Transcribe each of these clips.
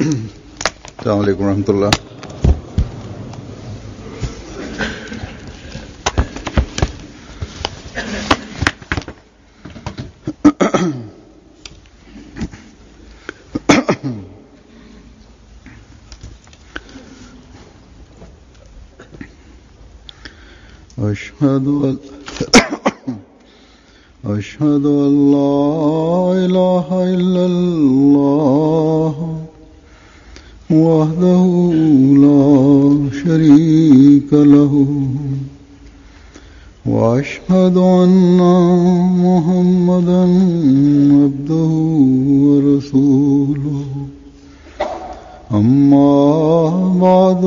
Assalamu alaikum warahmatullah. أشهد أن لا إله إلا الله وحده لا شريك له وأشهد أن محمدا عبده ورسوله أما بعد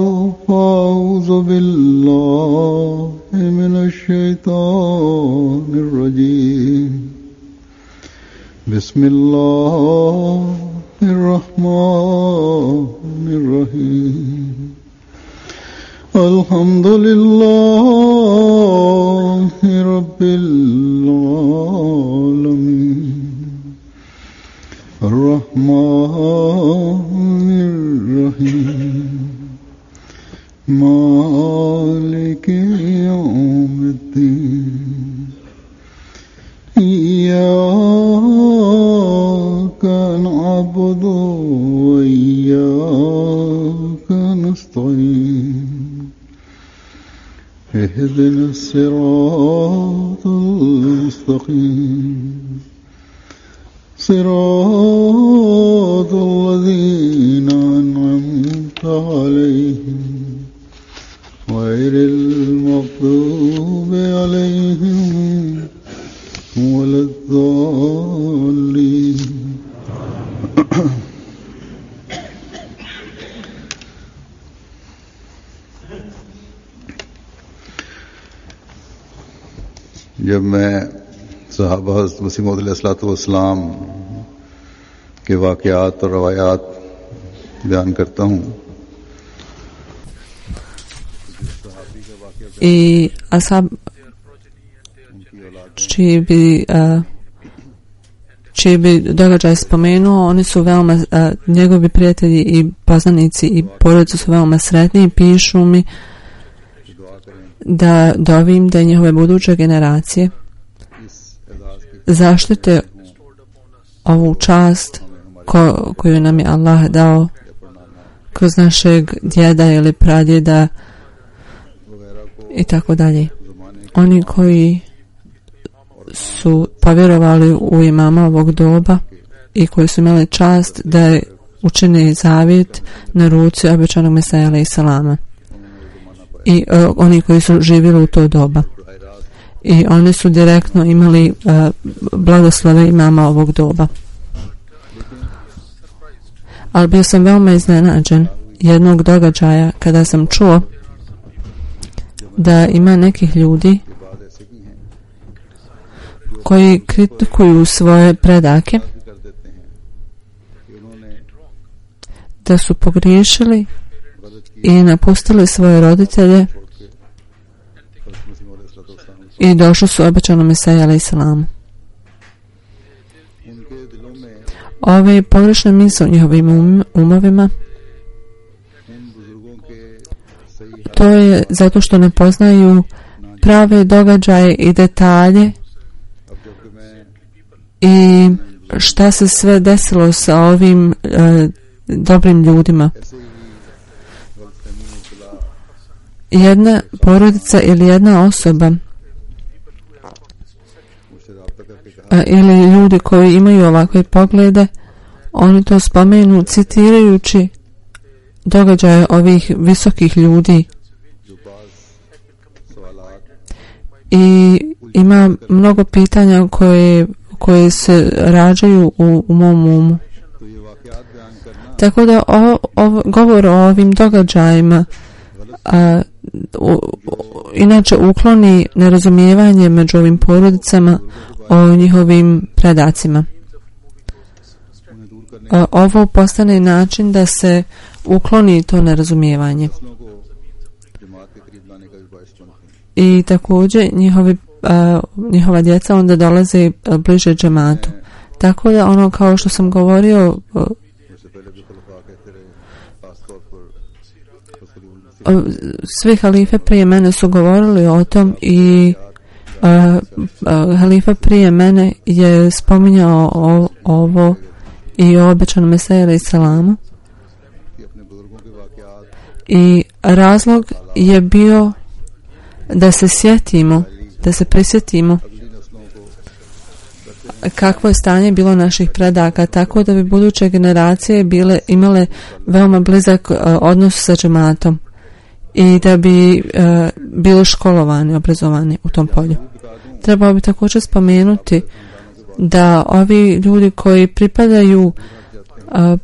فأعوذ بالله من الشيطان الرجيم بسم الله الرحمن الرحيم الحمد لله رب العالمين الرحمن الرحيم مالك يوم الدين إياك نعبد وإياك نستعين اهدنا الصراط المستقيم صراط الذين أنعمت عليهم غير المغضوب عليهم ولا الضالين. जब मैं सहाबा हज़रत मसीह मौऊद अलैहिस्सलाम के वाक़यात और रवायात बयान करता हूँ i ashab čiji bi događaj spomenuo, oni su veoma njegovi prijatelji i poznanici i porodice su veoma sretni i pišu mi da dovim da njihove buduće generacije zaštite ovu čast koju nam je Allah dao kroz našeg djeda ili pradjeda i tako dalje. Oni koji su povjerovali u imama ovog doba i koji su imali čast da učine zavjet na ruci obećanog Mesaja alejhiselama i oni koji su živjeli u to doba i oni su direktno imali blagoslove imama ovog doba. Ali bio sam veoma iznenađen jednog događaja kada sam čuo da ima nekih ljudi koji kritikuju svoje predake da su pogriješili i napustili svoje roditelje i došli su obećanom Mesiji alejhiselamu. Ove pogrešne misli u njihovim umovima, to je zato što ne poznaju prave događaje i detalje i šta se sve desilo sa ovim dobrim ljudima. Jedna porodica ili jedna osoba ili ljudi koji imaju ovakve poglede, oni to spomenu citirajući događaje ovih visokih ljudi. I ima mnogo pitanja koje se rađaju u mom umu. Tako da govor o ovim događajima inače ukloni nerazumijevanje među ovim porodicama o njihovim predacima. Ovo postane način da se ukloni to nerazumijevanje. I također njihova djeca onda dolaze bliže džematu. Tako da ono kao što sam govorio Svi halife prije mene su govorili o tom i halifa prije mene je spominjao ovo i o obećanom Mesiji alejhi selamu. I razlog je bio da se sjetimo, da se prisjetimo kakvo je stanje bilo naših predaka, tako da bi buduće generacije imale veoma blizak odnos sa džematom i da bi bili školovani, obrazovani u tom polju. Trebalo bi također spomenuti da ovi ljudi koji pripadaju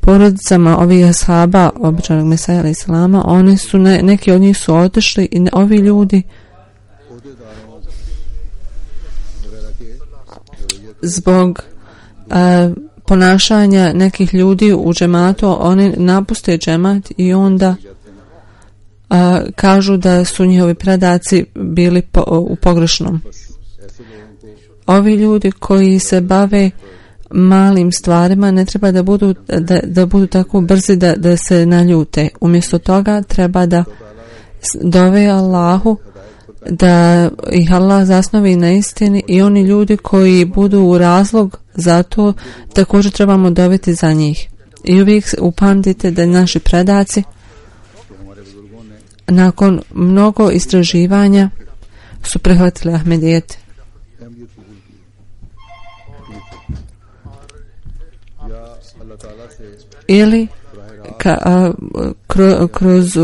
porodicama ovih ashaba obećanog Mesija alejhi selama, oni su neki od njih su otišli i ovi ljudi zbog ponašanja nekih ljudi u džematu, oni napuste džemat i onda kažu da su njihovi predaci bili u pogrešnom. Ovi ljudi koji se bave malim stvarima ne treba da budu tako brzi da se naljute. Umjesto toga treba da dove Allahu da ih Allah zasnovi na istini i oni ljudi koji budu u razlog za to također trebamo doviti za njih. I uvijek upamtite da naši predaci nakon mnogo istraživanja su prihvatili Ahmedijet. Ili kroz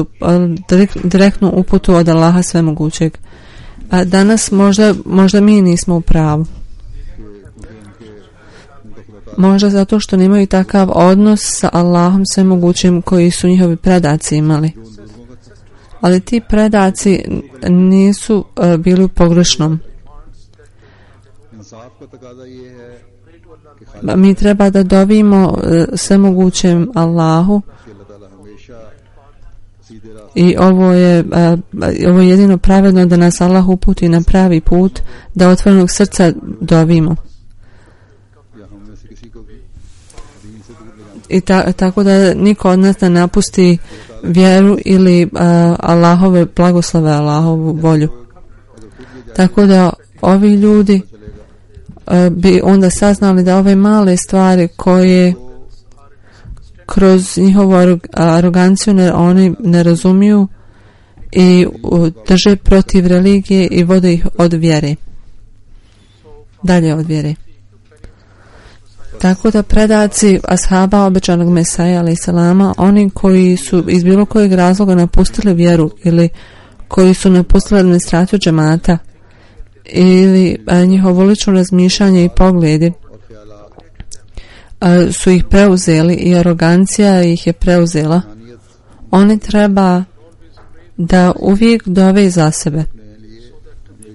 direktnu uputu od Allaha svemogućeg. A danas možda mi nismo u pravu. Možda zato što nemaju takav odnos sa Allahom svemogućim koji su njihovi predaci imali. Ali ti predaci nisu bili u pogrešnom. Mi treba da dovimo svemogućem Allahu i ovo je jedino pravedno da nas Allah uputi na pravi put, da otvorenog srca dovimo. I tako da niko od nas ne napusti vjeru ili Allahove blagoslove, Allahovu volju. Tako da ovi ljudi bi onda saznali da ove male stvari koje kroz njihovu aroganciju oni ne razumiju i drže protiv religije i vode ih od vjere. Dalje od vjere. Tako da predaci ashaba obećanog Mesija alejhi selama, oni koji su iz bilo kojeg razloga napustili vjeru ili koji su napustili administraciju džemata ili njihovo lično razmišljanje i pogledi su ih preuzeli i arogancija ih je preuzela, oni treba da uvijek dove za sebe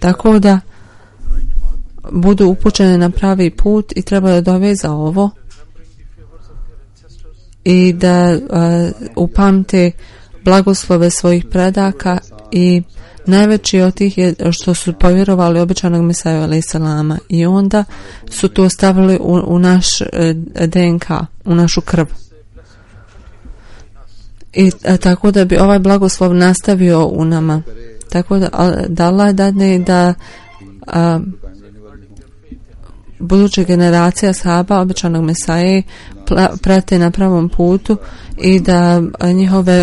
tako da budu upućeni na pravi put i treba da dove za ovo i da upamte blagoslove svojih predaka i najveći od tih je što su povjerovali obećanog Mesiju alejhi selama i onda su to stavili u naš DNK, u našu krv. I tako da bi ovaj blagoslov nastavio u nama. Tako da Allah dadne da buduće generacije ashaba obećanog Mesaje prate na pravom putu i da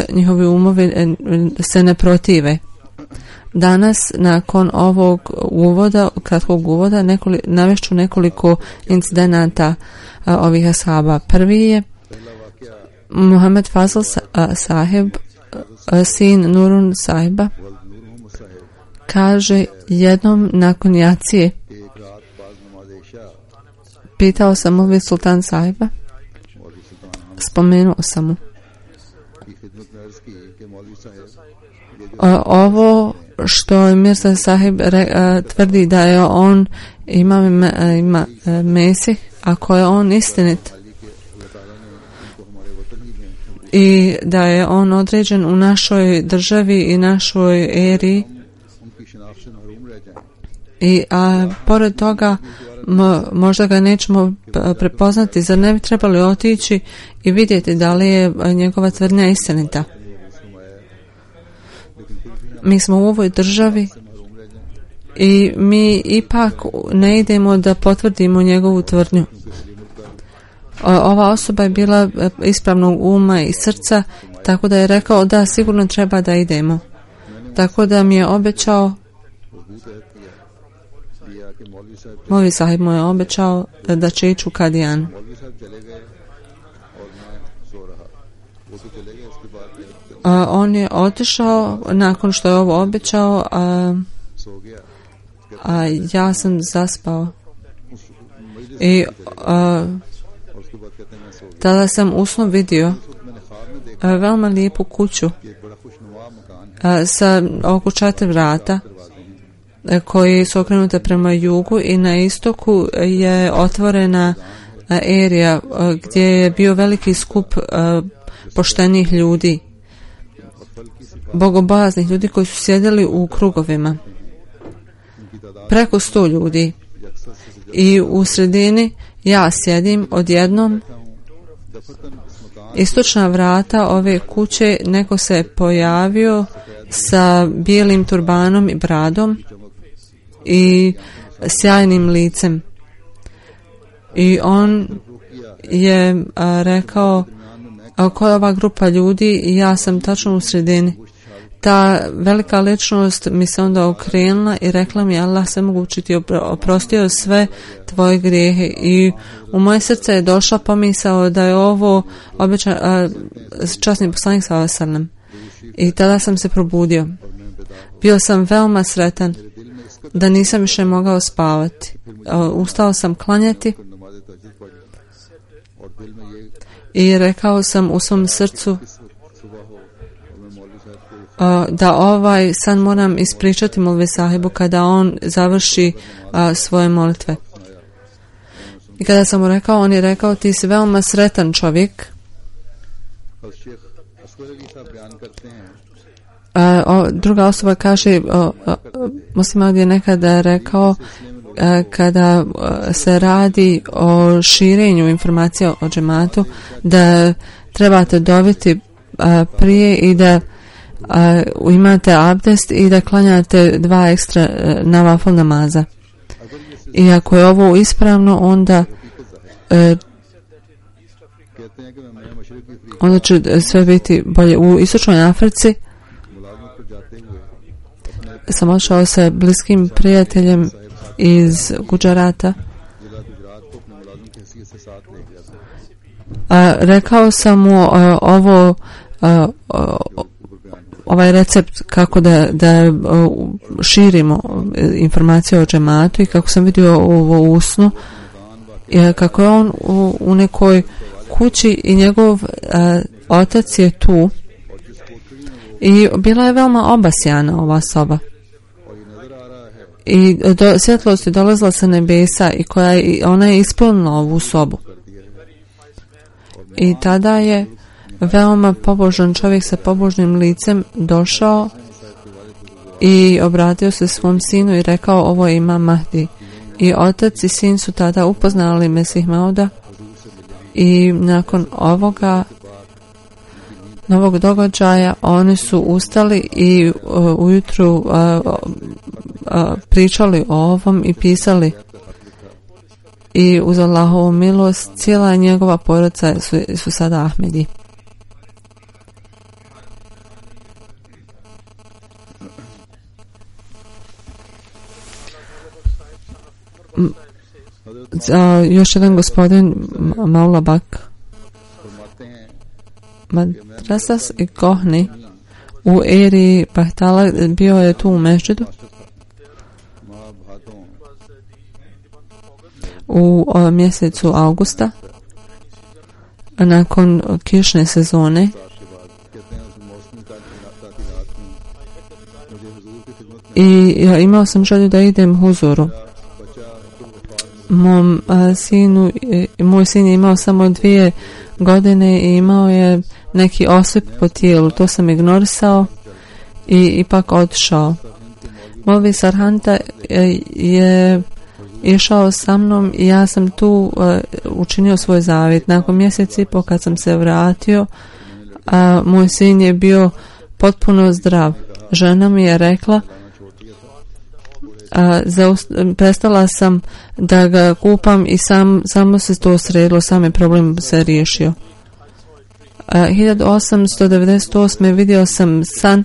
njihovi umovi se ne protive. Danas, nakon ovog kratkog uvoda, navešću nekoliko incidenata ovih ashaba. Prvi je Muhammed Fazl sahib, sin Nurun sahiba, kaže jednom nakon jacije pitao sam Mulvi Sultan sahiba, spomenuo sam mu ovo što Mirza sahib tvrdi da je on ima Mesih, ako je on istinit i da je on određen u našoj državi i našoj eri i pored toga možda ga nećemo prepoznati, zar ne bi trebali otići i vidjeti da li je njegova tvrdnja istinita. Mi smo u ovoj državi i mi ipak ne idemo da potvrdimo njegovu tvrdnju. Ova osoba je bila ispravnog uma i srca, tako da je rekao da sigurno treba da idemo. Tako da mi je obećao, Molvi sahib mu je obećao da će ići u Kadijan. On je otišao nakon što je ovo obećao, a ja sam zaspao. I tada sam u snu vidio veoma lijepu kuću sa oko 4 vrata koji su okrenute prema jugu i na istoku je otvorena erija gdje je bio veliki skup poštenih ljudi, bogobojaznih ljudi koji su sjedili u krugovima. Preko 100 ljudi. I u sredini ja sjedim, odjednom istočna vrata ove kuće neko se je pojavio sa bijelim turbanom i bradom i sjajnim licem. I on je rekao, ko je ova grupa ljudi? I ja sam tačno u sredini. Ta velika ličnost mi se onda okrenula i rekla mi, Allah svemogući ti oprostio sve tvoje grijehe. I u moje srce je došla pomisao da je ovo časni poslanik sallallahu alejhi ve sellem. I tada sam se probudio. Bio sam veoma sretan da nisam više mogao spavati. Ustao sam klanjati i rekao sam u svom srcu da ovaj san moram ispričati Molvi sahibu kada on završi svoje molitve. I kada sam mu rekao, on je rekao, ti si veoma sretan čovjek. Druga osoba kaže, Muslima je nekada rekao, kada se radi o širenju informacija o džematu, da trebate dobiti prije i da imate abdest i da klanjate 2 ekstra navafil namaza. I ako je ovo ispravno, onda će sve biti bolje. U istočnoj Africi sam otišao sa bliskim prijateljem iz Guđarata. Rekao sam mu ovaj recept kako da širimo informacije o džematu i kako sam vidio ovo u snu, kako je on u nekoj kući i njegov otac je tu i bila je veoma obasjana ova soba i svjetlost je dolazila sa nebesa i ona je ispunila ovu sobu. I tada je veoma pobožan čovjek sa pobožnim licem došao i obratio se svom sinu i rekao, ovo je Imam Mahdi. I otac i sin su tada upoznali Mesih Mauda i nakon ovoga novog događaja oni su ustali i ujutru pričali o ovom i pisali. I uz Allahovu milost cijela njegova porodica su sada Ahmedi. Još jedan gospodin Maula Bak Madrasas i Kohni u eri Bahtala bio je tu u mešđidu u mjesecu augusta nakon kišne sezone i imao sam želju da idem huzuru. Moj sin je imao samo 2 godine i imao je neki osip po tijelu. To sam ignorisao i ipak otišao. Molvi Sarhanta je išao sa mnom i ja sam tu učinio svoj zavjet. Nakon mjesec i pol kad sam se vratio, moj sin je bio potpuno zdrav žena mi je rekla, prestala sam da ga kupam i samo se to sredilo, sam je problem se riješio. 1898. vidio sam san,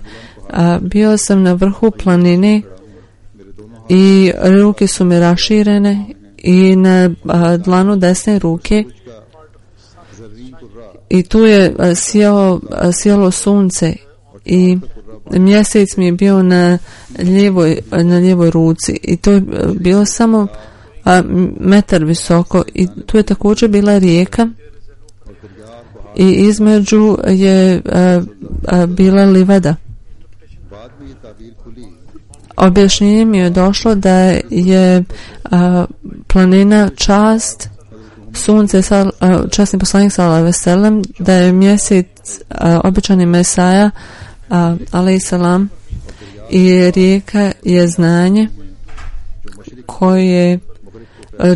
bio sam na vrhu planine i ruke su mi raširene i na dlanu desne ruke i tu je sjelo sunce i mjesec mi je bio na lijevoj ruci i to je bilo samo metar visoko i tu je također bila rijeka i između je bila livada. Objašnjenje mi je došlo da je planina čast, sunce, časni poslanik sallallahu alejhi ve sellem, da je mjesec običani Mesaja alejhi selam i rijeka je znanje koje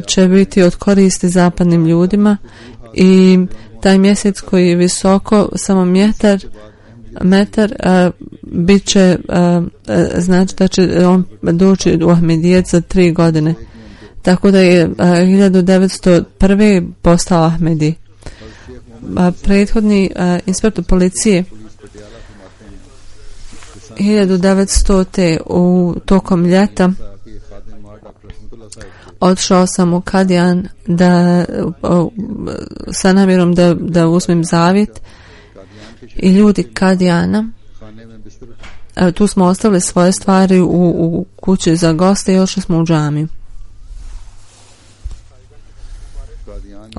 će biti od koristi zapadnim ljudima i taj mjesec koji je visoko samo metar bit će znači da će on doći u Ahmedijet za 3 godine. Tako da je 1901. postao Ahmedi. Prethodni inspektor policije 1900. u tokom ljeta otišao sam u Kadijan sa namjerom da uzmem zavjet i ljudi Kadijana, tu smo ostavili svoje stvari u kući za goste i ošli smo u džamiju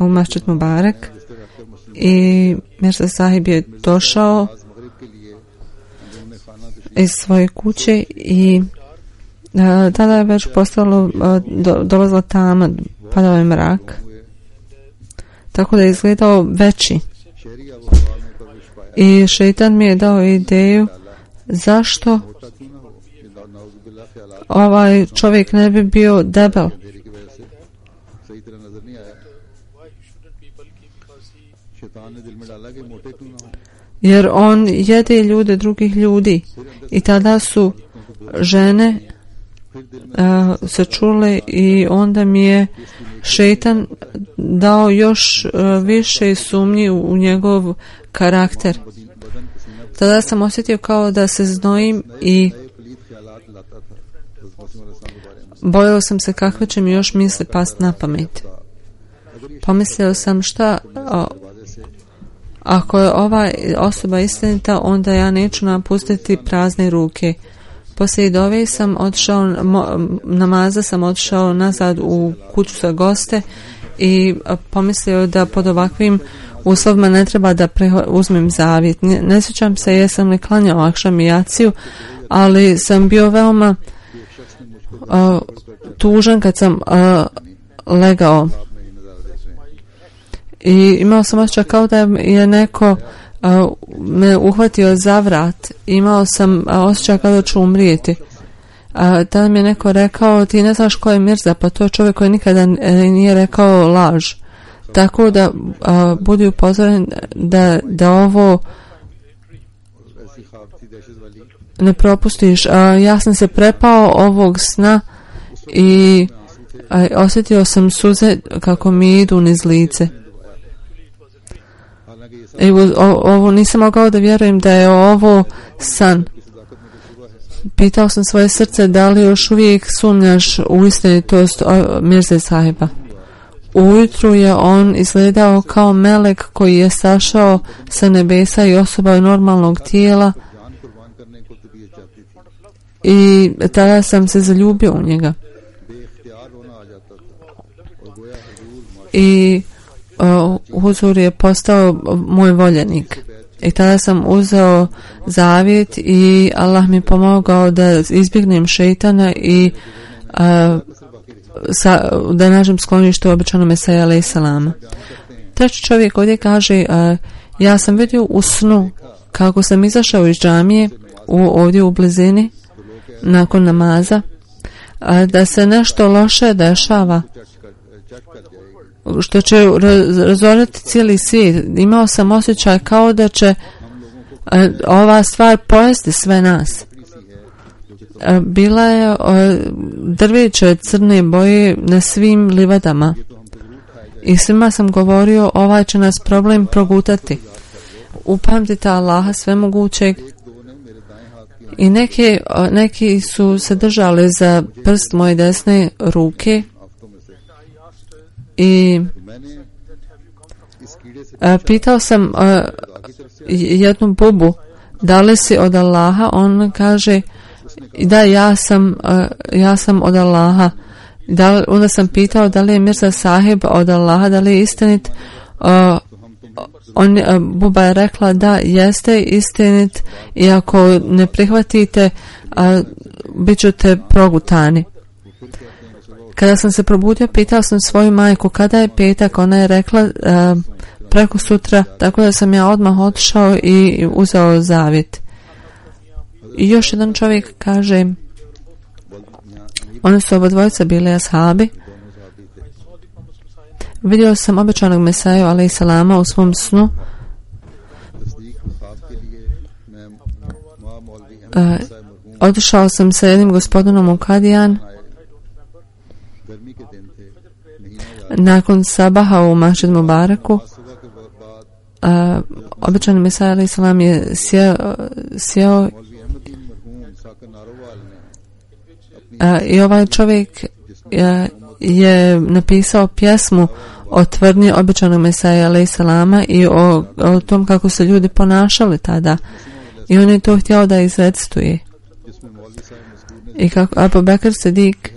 u Masjid Mubarak i Mirza Sahib je došao iz svoje kuće i tada je već postalo dolazila tama, padao je mrak, tako da je izgledao veći i šeitan mi je dao ideju zašto ovaj čovjek ne bi bio debel, jer on jede ljude drugih ljudi i tada su žene se čule i onda mi je šeitan dao još više sumnji u njegov karakter. Tada sam osjetio kao da se znojim i bojao sam se kakve će mi još misli past na pamet. Pomislio sam šta ako je ova osoba istinita, onda ja neću napustiti prazne ruke. Poslije dove sam otišao, namaza sam otišao nazad u kuću za goste i pomislio da pod ovakvim uslovima ne treba da uzmem zavjet. Ne sjećam se jesam li klanjao akšam i jaciju, ali sam bio veoma tužan kad sam legao. I imao sam osjećaj kao da je neko me uhvatio za vrat. Imao sam osjećaj kao da ću umrijeti. Tada mi je neko rekao, ti ne znaš ko je Mirza, pa to je čovjek koji nikada nije rekao laž. Tako da budi upozoren da ovo ne propustiš. Ja sam se prepao ovog sna i osjetio sam suze kako mi idu niz lice. Ovo nisam mogao da vjerujem da je ovo san. Pitao sam svoje srce da li još uvijek sumnjaš u istinitost Mirze Sahiba. Ujutru je on izgledao kao melek koji je sašao sa nebesa i osoba normalnog tijela i tada sam se zaljubio u njega. I Huzur je postao moj voljenik. I tada sam uzeo zavjet i Allah mi pomogao da izbjegnem šeitana i da nađem sklonište u običanom Mesaja alejhi selama. Treći čovjek ovdje kaže, ja sam vidio u snu kako sam izašao iz džamije ovdje u blizini nakon namaza, da se nešto loše dešava što će razorati cijeli svijet. Imao sam osjećaj kao da će ova stvar pojesti sve nas. bila je drveće crne boje na svim livadama. I svima sam govorio, ovaj će nas problem progutati. Upamtite Allaha svemogućeg. I neki su se držali za prst moje desne ruke i pitao sam jednu bubu, da li si od Allaha? On kaže, da, ja sam od Allaha. Onda sam pitao da li je Mirza Sahib od Allaha, da li je istinit. Buba je rekla da jeste istinit i ako ne prihvatite, bit ćete progutani. Kada sam se probudio, pitao sam svoju majku kada je petak. Ona je rekla preko sutra, tako da sam ja odmah otišao i uzeo zavjet. I još jedan čovjek kaže, oni su obadvojica bili ashabi. Vidio sam obećanog Mesaju alejhi selama u svom snu. Otišao sam sa jednim gospodinom u Kadijan nakon sabaha u Masjid Mubaraku. Obećani Mesaja alejhi selam je sjeo i ovaj čovjek je napisao pjesmu o tvrdnji obećanog Mesaja alejhi selama i o tom kako se ljudi ponašali tada. I on je to htio da izrecituje. I kako Abu Bekr Sidik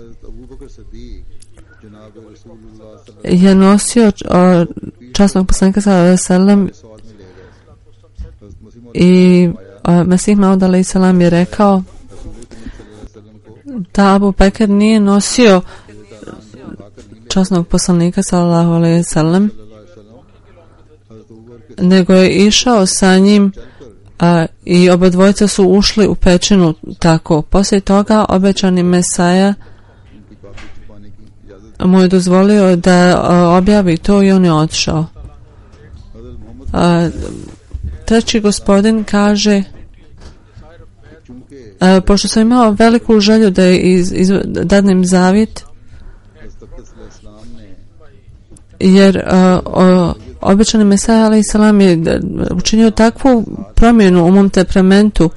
je nosio časnog poslanika sallallahu alejhi ve sellem i Mesih Maud alejhi selam je rekao da Abu Bekr nije nosio časnog poslanika sallallahu alejhi ve sellem, nego je išao sa njim i obadvojica su ušli u pećinu tako. Poslije toga obećani Mesaja mu je dozvolio da objavi to i on je otišao. Treći gospodin kaže, pošto sam imao veliku želju da dadnem zavjet, jer obećani Mesaja alejhi selam je učinio takvu promjenu u mom temperamentu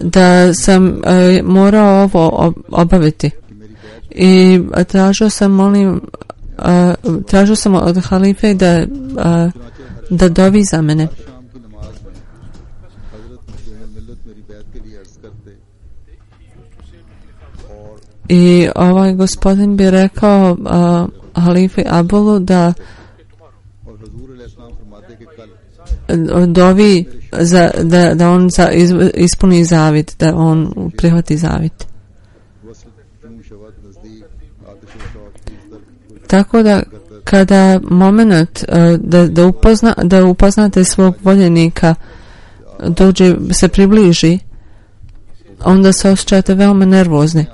da sam morao ovo obaviti. I tražio sam od halife da dovi za mene. I ovaj gospodin bi rekao halife Abulu da dovi da on ispuni zavjet, da on prihvati zavjet. Tako da kada moment da upoznate svog voljenika se približi, onda se osjećate veoma nervozni.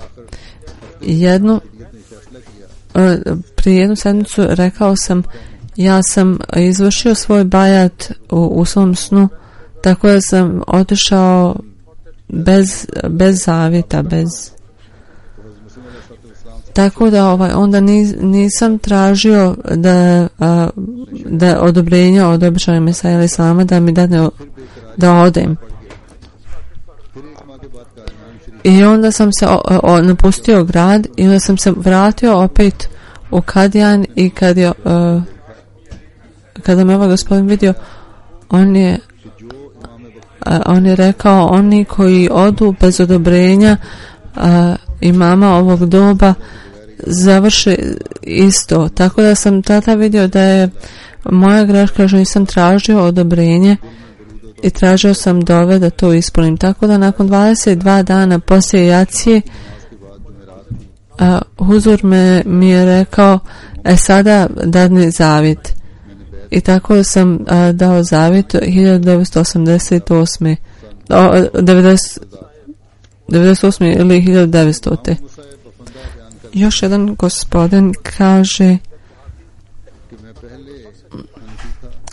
Prije jednu sedmicu rekao sam, ja sam izvršio svoj bajat u svom snu, tako da sam otišao bez zavjeta, tako da onda nisam tražio da odobrenja od obećanog Mesaja alejhi selama da mi dadne da odem. I onda sam se napustio grad i onda sam se vratio opet u Kadijan i kada me ovaj gospodin vidio, on je rekao, oni koji odu bez odobrenja imama ovog doba završe isto. Tako da sam tada vidio da je moja greška što nisam tražio odobrenje i tražio sam dove da to ispunim. Tako da nakon 22 dana poslije jacije Huzur mi je rekao, sada dadni zavjet. I tako sam dao zavjet 1998. 98. ili 1900. Još jedan gospodin kaže,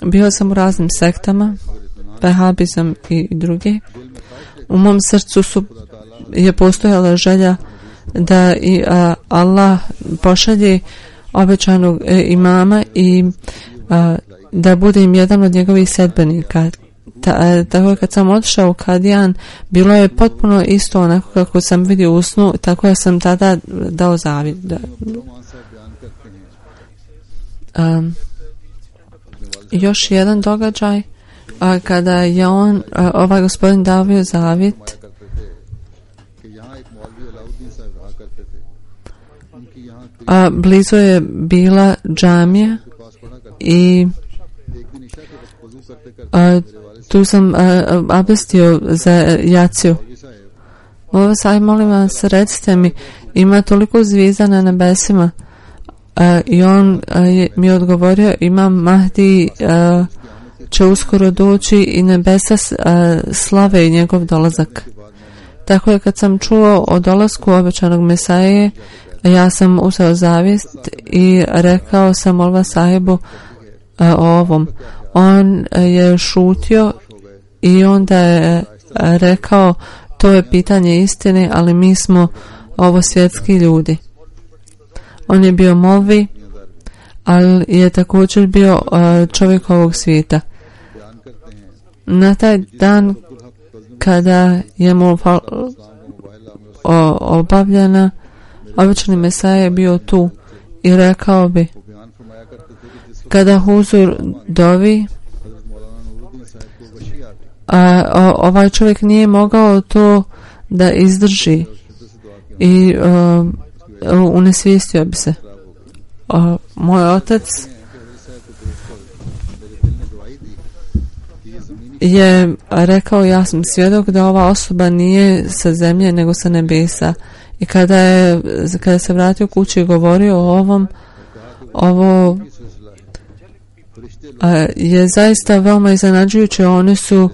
bio sam u raznim sektama, vehabizam i druge. U mom srcu su je postojala želja da i Allah pošalje obećanog imama i da budem jedan od njegovih sedbenika. Tako kad sam otišao u Kadijan, bilo je potpuno isto onako kako sam vidio u snu, tako ja sam tada dao zavjet. Još jedan događaj, kada je ovaj gospodin davio zavjet, blizu je bila džamija i tu sam abdestio za jaciju. Molim vas, recite mi, ima toliko zvijezda na nebesima. I on mi je odgovorio, Imam Mahdi će uskoro doći i nebesa slave i njegov dolazak. Tako je kad sam čuo o dolasku obećanog Mesaje, ja sam uzeo zavijest i rekao sam Molva sahibu o ovom. On je šutio i onda je rekao, to je pitanje istine, ali mi smo ovo svjetski ljudi. On je bio molvi, ali je također bio čovjek ovog svijeta. Na taj dan kada je molva obavljena, obični Mesaja je bio tu i rekao bi, kada huzur dovi, ovaj čovjek nije mogao to da izdrži i unesvijestio bi se. Moj otac je rekao, ja sam svjedok da ova osoba nije sa zemlje nego sa nebesa. I kada se vratio kući i govorio o ovom, ovo je zaista veoma iznenađujuće. Oni su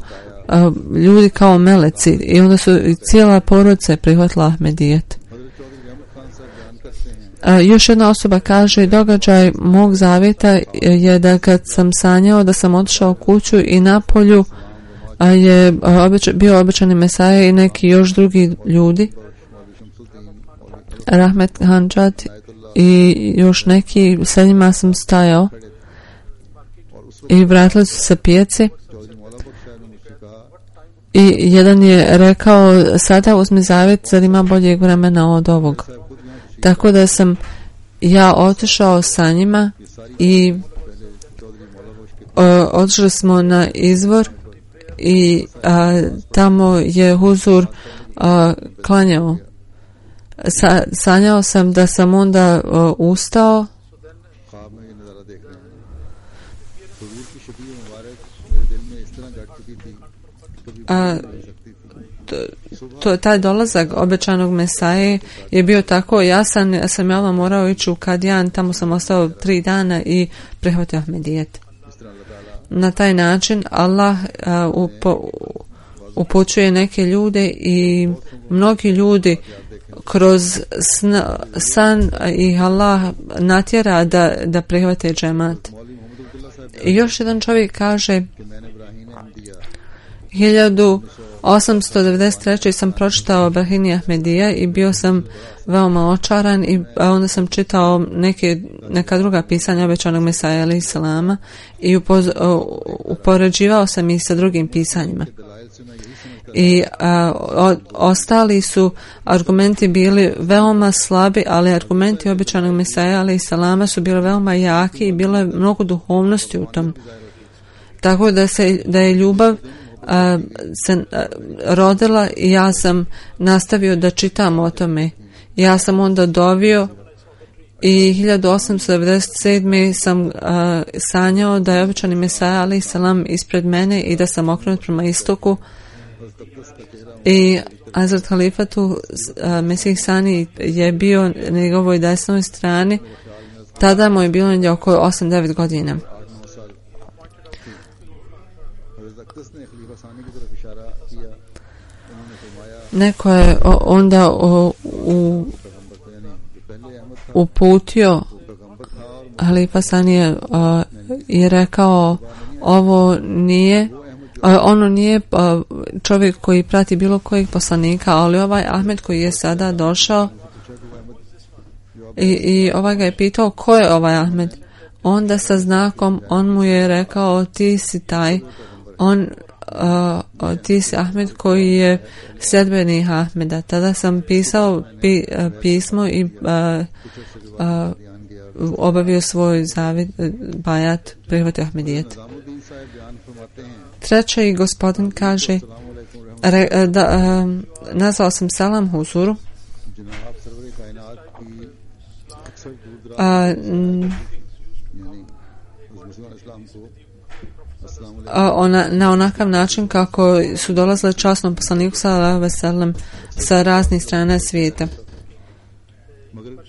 ljudi kao meleci i onda su cijela porodica prihvatila Ahmedijet. Još jedna osoba kaže, događaj mog zavjeta je da kad sam sanjao da sam otišao u kuću i na polju je bio obećani Mesaja i neki još drugi ljudi, Rahmet Hančat i još neki, sa njima sam stajao i vratili su se pijaci i jedan je rekao, sada uzmi zavjet, zar ima boljeg vremena od ovog. Tako da sam ja otišao sa njima i otišli smo na izvor i tamo je huzur klanjao. Sanjao sam da sam onda ustao taj dolazak obećanog Mesaje je bio tako jasan. Ja sam morao ići u Kadijan, tamo sam ostao 3 dana i prihvatio Ahmedijet. Na taj način Allah upućuje neke ljude i mnogi ljudi kroz san ih Allah natjera da prihvate džemat. I još jedan čovjek kaže, 1893. sam pročitao Bahini Ahmedija i bio sam veoma očaran i onda sam čitao neka druga pisanja obećanog Mesaja alejhi selama i upoređivao sam ih sa drugim pisanjima. I ostali su argumenti bili veoma slabi, ali argumenti obećanog Mesaja alejhi selama su bili veoma jaki i bilo je mnogo duhovnosti u tom. Tako da je ljubav se rodila i ja sam nastavio da čitam o tome. Ja sam onda dovio i 1897. sam sanjao da je obećani Mesaja alejhi selam ispred mene i da sam okrenut prema istoku i Hazrat Halifatu Mesih Sani je bio na njegovoj desnoj strani. Tada mu je bilo negdje oko 8-9 godina. Neko je onda uputio Halifa Sani je rekao, ovo nije ono nije čovjek koji prati bilo kojeg poslanika, ali ovaj Ahmed koji je sada došao i ovaj ga je pitao ko je ovaj Ahmed. Onda sa znakom on mu je rekao ti si taj, ti si Ahmed koji je sljedbenik Ahmeda. Tada sam pisao pismo i obavio svoj bajat, prihvatio Ahmedijet. Treći gospodin kaže nazvao sam Salam Huzuru na onakav način kako su dolazile časnom poslaniku sallallahu alejhi ve sellem sa raznih strana svijeta.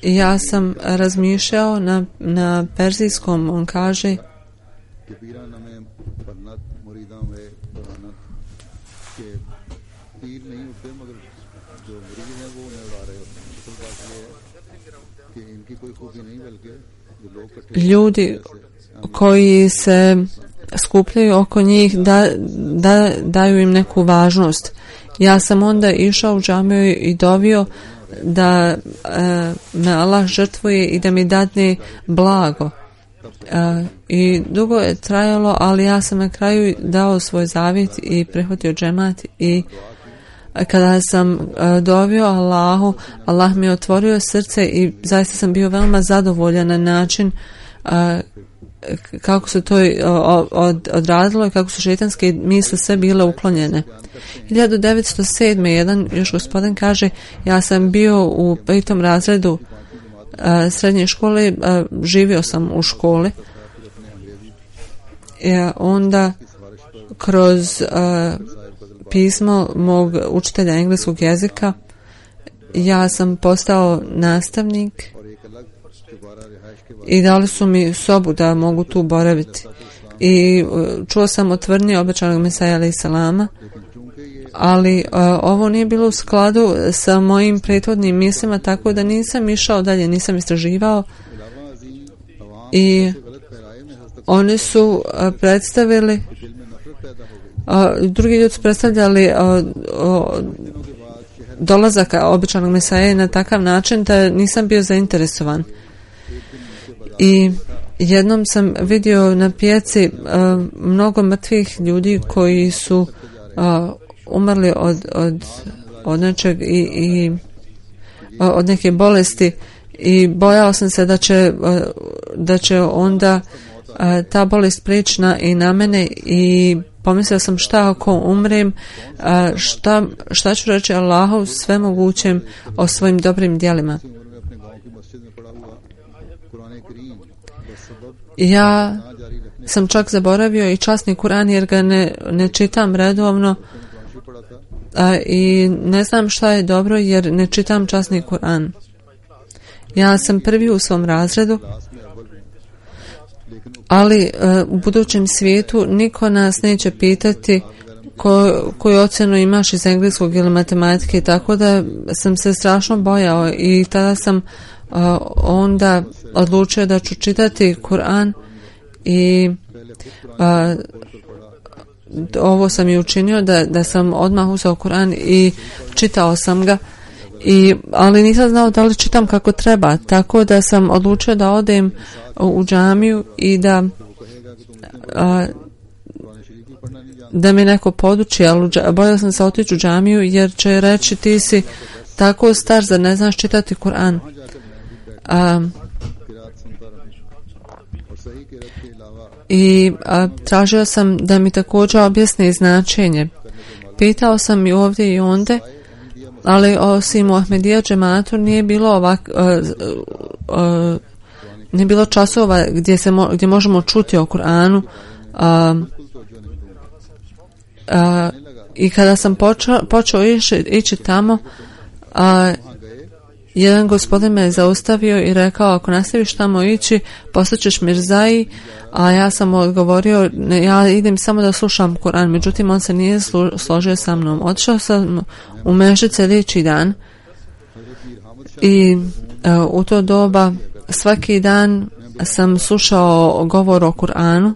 I ja sam razmišljao na perzijskom, on kaže ljudi koji se skupljaju oko njih daju im neku važnost. Ja sam onda išao u džamiju i dovio da me Allah žrtvuje i da mi dadne blago. I dugo je trajalo, ali ja sam na kraju dao svoj zavjet i prihvatio džemat i kada sam dovio Allahu, Allah mi je otvorio srce i zaista sam bio veoma zadovoljan na način kako se to odradilo i kako su šejtanske misli sve bile uklonjene. 1907. jedan još gospodin kaže, ja sam bio u 5. razredu srednje škole, živio sam u školi. Onda kroz pismo mog učitelja engleskog jezika ja sam postao nastavnik i dali su mi sobu da mogu tu boraviti. I čuo sam o tvrdnji obećanog Mesaja alejhi selama, ali ovo nije bilo u skladu sa mojim prethodnim mislima, tako da nisam išao dalje, nisam istraživao. I oni su predstavili, drugi ljudi su predstavljali dolazak obećanog Mesaje na takav način da nisam bio zainteresovan. I jednom sam vidio na pijaci mnogo mrtvih ljudi koji su umrli od nečeg i od neke bolesti i bojao sam se da će onda ta bolest prijeći i na mene i pomislio sam šta ako umrem, šta ću reći Allahu svemogućem o svojim dobrim djelima. Ja sam čak zaboravio i časni Kur'an jer ga ne čitam redovno i ne znam šta je dobro jer ne čitam časni Kur'an. Ja sam prvi u svom razredu, ali u budućem svijetu niko nas neće pitati koju ocjenu imaš iz engleskog ili matematike, tako da sam se strašno bojao i tada sam onda odlučio da ću čitati Kur'an i ovo sam i učinio da sam odmah uzeo Kur'an i čitao sam ga, ali nisam znao da li čitam kako treba, tako da sam odlučio da odem u džamiju i da mi neko poduči, ali bojao sam se otići u džamiju jer će reći ti si tako star, zar ne znaš čitati Kur'an. I tražio sam da mi također objasni značenje. Pitao sam i ovdje i onde, ali osim u Ahmedija džematu nije bilo nije bilo časova gdje možemo čuti o Kur'anu. I kada sam počeo ići tamo, jedan gospodin me zaustavio i rekao, ako nastaviš tamo ići, postaćeš mirzaji, a ja sam odgovorio, ja idem samo da slušam Kur'an, međutim on se nije složio sa mnom. Otišao sam u mežu sljedeći dan i u to doba svaki dan sam slušao govor o Kur'anu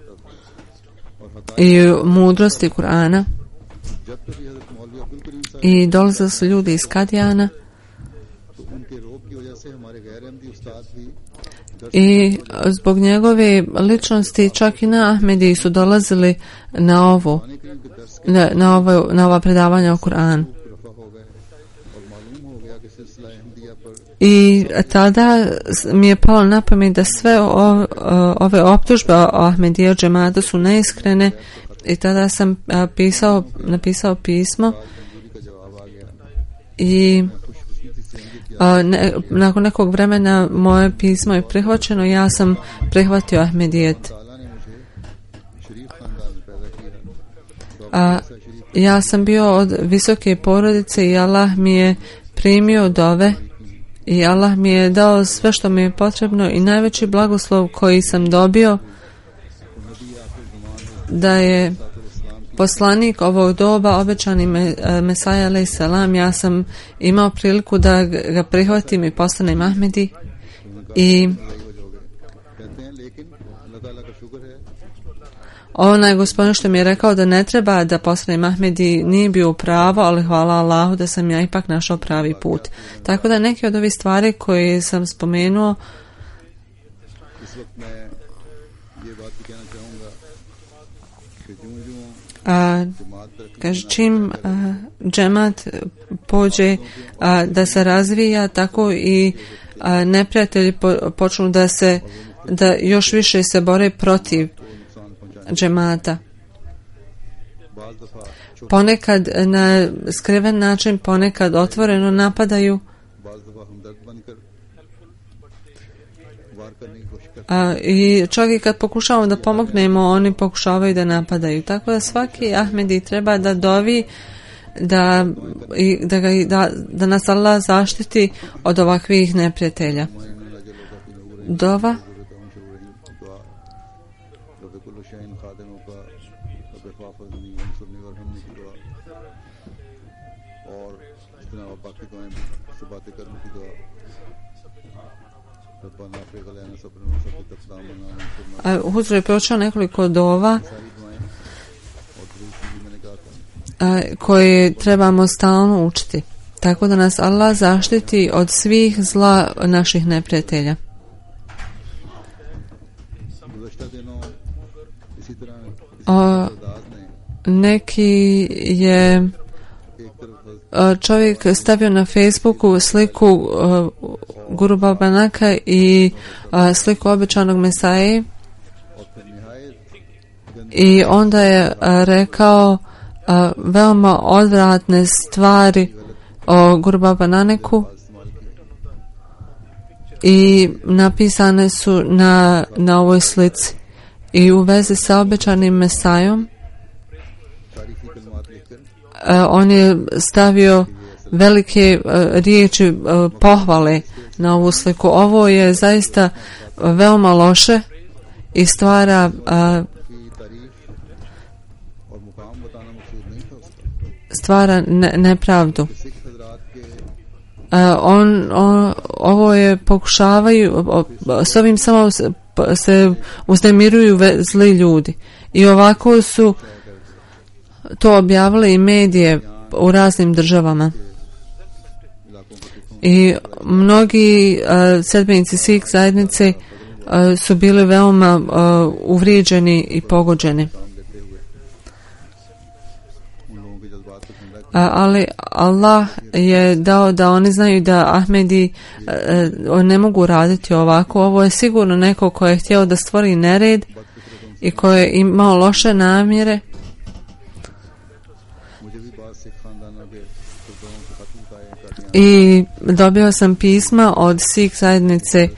i mudrosti Kur'ana. I dolazili su ljudi iz Kadijana i zbog njegove ličnosti čak i na Ahmedi su dolazili na ova predavanja o Kur'anu. I tada mi je palo na pamet da sve ove optužbe o Ahmedija džemata su neiskrene i tada sam napisao pismo i nakon nekog vremena moje pismo je prihvaćeno. Ja sam prihvatio Ahmedijet. Ja sam bio od visoke porodice i Allah mi je primio dove i Allah mi je dao sve što mi je potrebno i najveći blagoslov koji sam dobio da je poslanik ovog doba, obećani Mesaja alejhi selam, ja sam imao priliku da ga prihvatim i postanem Ahmedi. I onaj gospodin što mi je rekao da ne treba da postanem Ahmedi nije bio pravo, ali hvala Allahu da sam ja ipak našao pravi put. Tako da neke od ovih stvari koje sam spomenuo kaže, čim džemat pođe da se razvija, tako i neprijatelji počnu da još više se bore protiv džemata. Ponekad na skriven način, ponekad otvoreno napadaju. I čak i kad pokušavamo da pomognemo, oni pokušavaju da napadaju. Tako da svaki Ahmedi treba da dovi da nas Allah zaštiti od ovakvih neprijatelja. Dova. Huzur je pročao nekoliko dova koje trebamo stalno učiti. Tako da nas Allah zaštiti od svih zla naših neprijatelja. Neki je čovjek stavio na Facebooku sliku Guru Baba Naka i sliku obećanog Mesaje i onda je rekao veoma odvratne stvari o Guru Baba Naneku i napisane su na ovoj slici i u vezi sa obećanim Mesajom on je stavio velike riječi pohvale na ovu sliku. Ovo je zaista veoma loše i stvara nepravdu. Ovo je pokušavaju, s ovim samo se uznemiruju zli ljudi. I ovako su to objavili i medije u raznim državama. I mnogi sedbenici Sikh zajednice su bili veoma uvrijeđeni i pogođeni. Ali Allah je dao da oni znaju da Ahmedi ne mogu raditi ovako. Ovo je sigurno neko ko je htio da stvori nered i ko je imao loše namjere. I dobio sam pisma od Sikh zajednice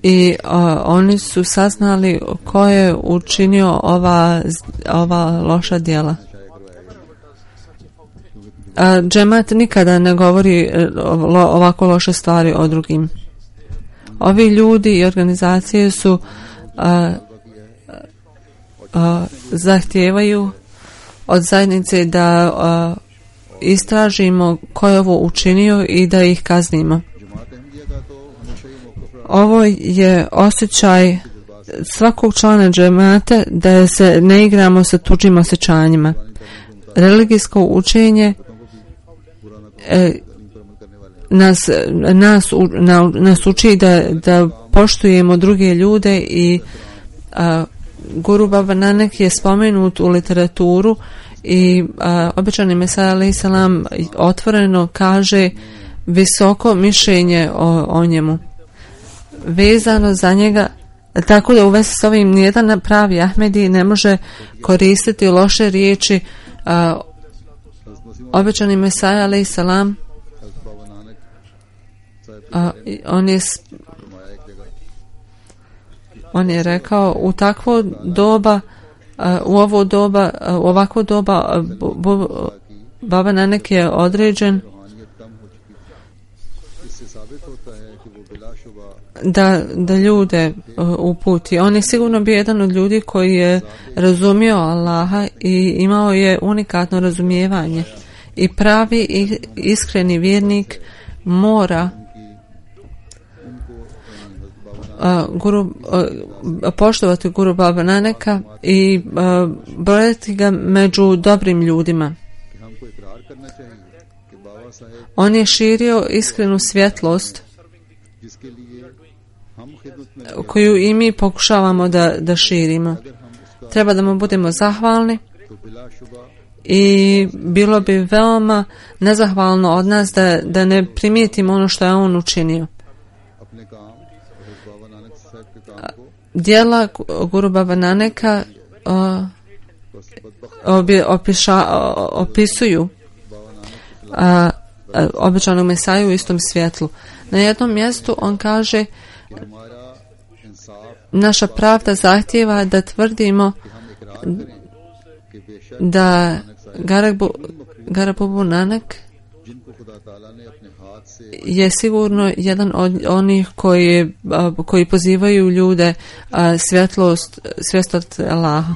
i oni su saznali ko je učinio ova loša djela. Džemat nikada ne govori ovako loše stvari o drugim. Ovi ljudi i organizacije su zahtijevaju od zajednice da istražimo ko je ovo učinio i da ih kaznimo. Ovo je osjećaj svakog člana džemata da se ne igramo sa tuđim osjećanjima. Religijsko učenje nas uči da poštujemo druge ljude i Guru Baba Nanak je spomenut u literaturu i obećani Mesija alejhi selam otvoreno kaže visoko mišljenje o njemu vezano za njega, tako da u vezi s ovim nijedan pravi Ahmedi ne može koristiti loše riječi. Obećani Mesija alejhi selam on je rekao u takvo doba, u ovakvo doba Baba Nanak je određen da ljude uputi. On je sigurno bio jedan od ljudi koji je razumio Allaha i imao je unikatno razumijevanje. I pravi i iskreni vjernik mora poštovati Guru Baba Nanaka i brojati ga među dobrim ljudima. On je širio iskrenu svjetlost koju i mi pokušavamo da širimo. Treba da mu budemo zahvalni i bilo bi veoma nezahvalno od nas da ne primijetimo ono što je on učinio. Djela Guru Baba Nanaka opisuju obećanog Mesaju u istom svjetlu. Na jednom mjestu on kaže naša pravda zahtijeva da tvrdimo da Garabubu Nanak je sigurno jedan od onih koji pozivaju ljude svjetlost Allaha.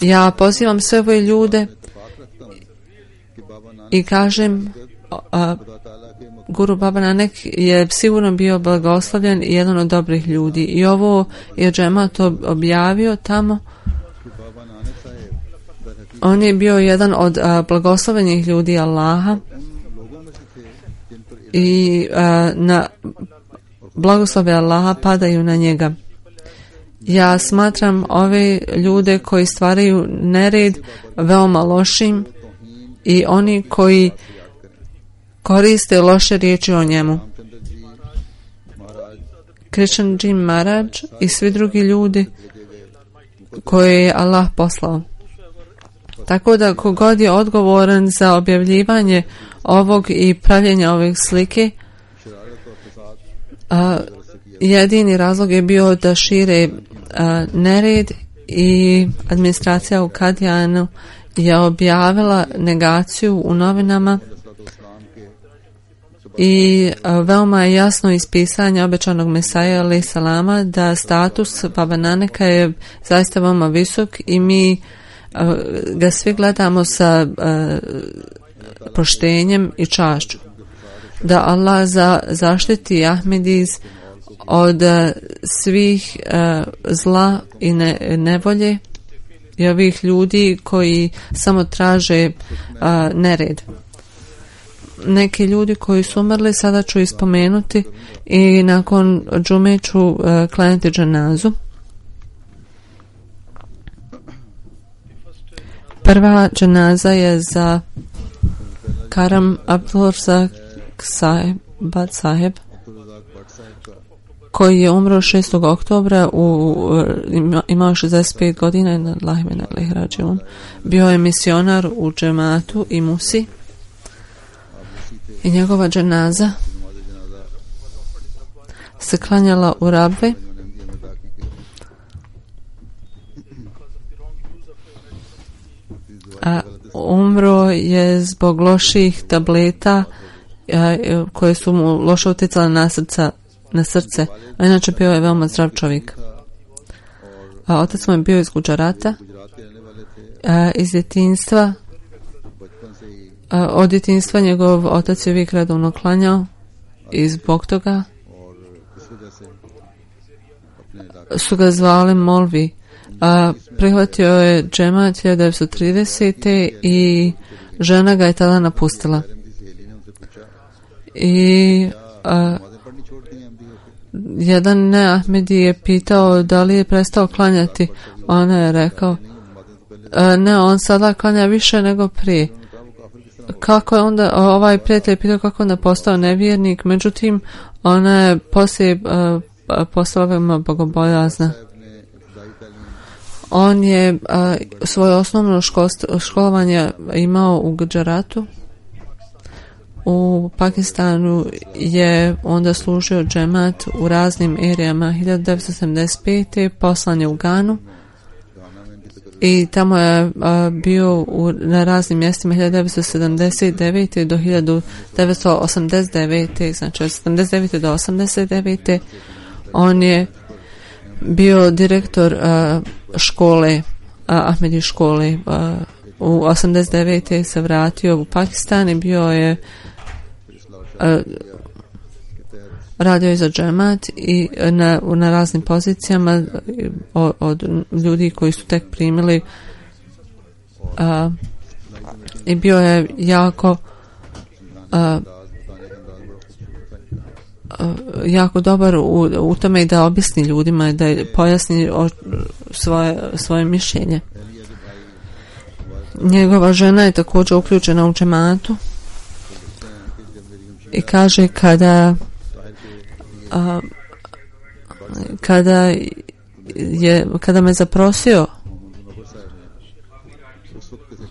Ja pozivam sve ove ljude i kažem Guru Baba Nanak je sigurno bio blagoslovljen i jedan od dobrih ljudi. I ovo je džemat objavio tamo. On je bio jedan od blagoslovenih ljudi Allaha i na blagoslove Allaha padaju na njega. Ja smatram ove ljude koji stvaraju nered veoma lošim i oni koji koriste loše riječi o njemu. Krishanji Maharaj i svi drugi ljudi koje je Allah poslao. Tako da kogod je odgovoran za objavljivanje ovog i pravljenje ovih slike, jedini razlog je bio da šire nered i administracija u Kadijanu je objavila negaciju u novinama i veoma je jasno iz pisanja obećanog Mesija alejhi selama da status Baba Nanaka je zaista veoma visok i mi ga svi gledamo sa poštenjem i čašću. Da Allah zaštiti Ahmediz od svih zla i nevolje i ovih ljudi koji samo traže nered. Neki ljudi koji su umrli sada ću ispomenuti i nakon džume ću klanjati dženazu. Prva dženaza je za Karam Abdulrazak Bhat Saheb koji je umro 6. oktobra imao 65 godina bio je misionar u džematu i Musi i njegova dženaza se klanjala u Rabve. Umro je zbog loših tableta koje su mu loše utjecale na srce. A inače bio je veoma zdrav čovjek. Otac mu je bio iz Guđarata. Iz djetinjstva od djetinjstva njegov otac je uvijek redovno klanjao i zbog toga su ga zvali Molvi. Prihvatio je džemat 1930. i žena ga je tada napustila. I jedan neahmedi je pitao da li je prestao klanjati. Ona je rekao ne, on sada klanja više nego prije. Kako je onda, ovaj prijatelj pitao kako onda postao nevjernik, međutim ona je poslije postala veoma bogobojazna. On je svoje osnovno školovanje imao u Gujaratu. U Pakistanu je onda služio džemat u raznim erijama. 1975. poslan je u Ganu i tamo je bio na raznim mjestima 1979. do 1989. znači od 79. do 89. on je bio direktor škole, Ahmedi škole. U 89. se vratio u Pakistan i bio je radio je za džemat i na raznim pozicijama od ljudi koji su tek primili i bio je jako dobar u tome da objasni ljudima, da pojasni svoje mišljenje. Njegova žena je također uključena u džematu i kaže kada me zaprosio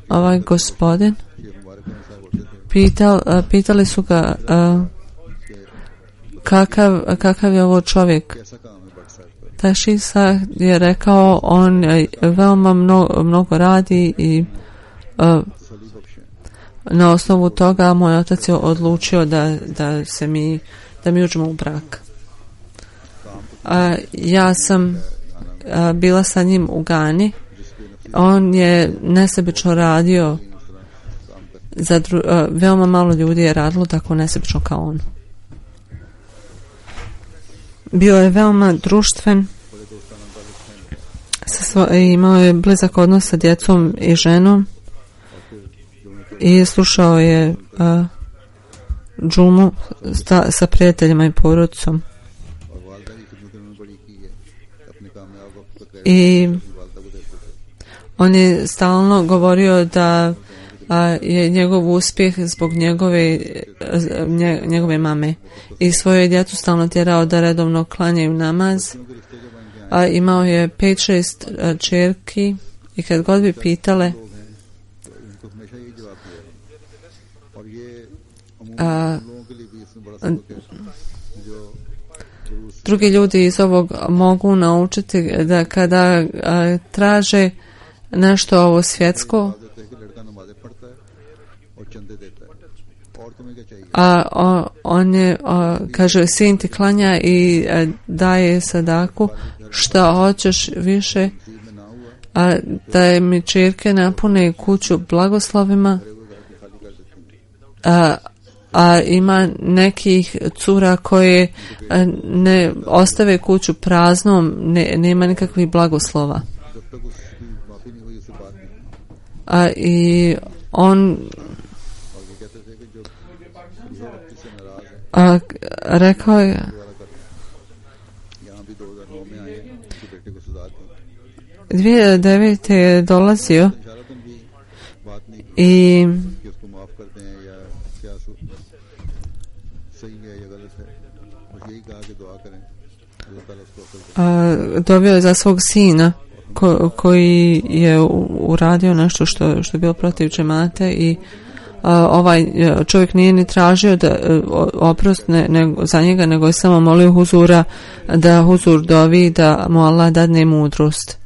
ovaj gospodin, pitali su ga kakav je ovo čovjek. Tašisa je rekao on veoma mnogo radi i na osnovu toga moj otac je odlučio da mi uđemo u brak. Ja sam bila sa njim u Gani. On je nesebično radio veoma malo ljudi je radilo tako nesebično kao on. Bio je veoma društven, imao je blizak odnos sa djecom i ženom i slušao je džumu sa prijateljima i porodicom. I on je stalno govorio da je njegov uspjeh zbog njegove mame i svoje djecu stalno tjerao da redovno klanjaju namaz. Imao je 5-6 čerki i kad god bi pitale drugi ljudi iz ovog mogu naučiti da kada traže nešto ovo svjetsko, on je kaže sin ti klanja i daje sadaku, šta hoćeš više, da je mi čirke napune kuću blagoslovima, a ima nekih cura koje ne ostave kuću praznom, nema nikakvih blagoslova. I on rekao je 2009. je dolazio i dobio je za svog sina koji je uradio nešto što je bilo protiv džemate i ovaj čovjek nije ni tražio da oprost za njega, nego je samo molio huzura da huzur dovi da mu Allah dadne mudrost.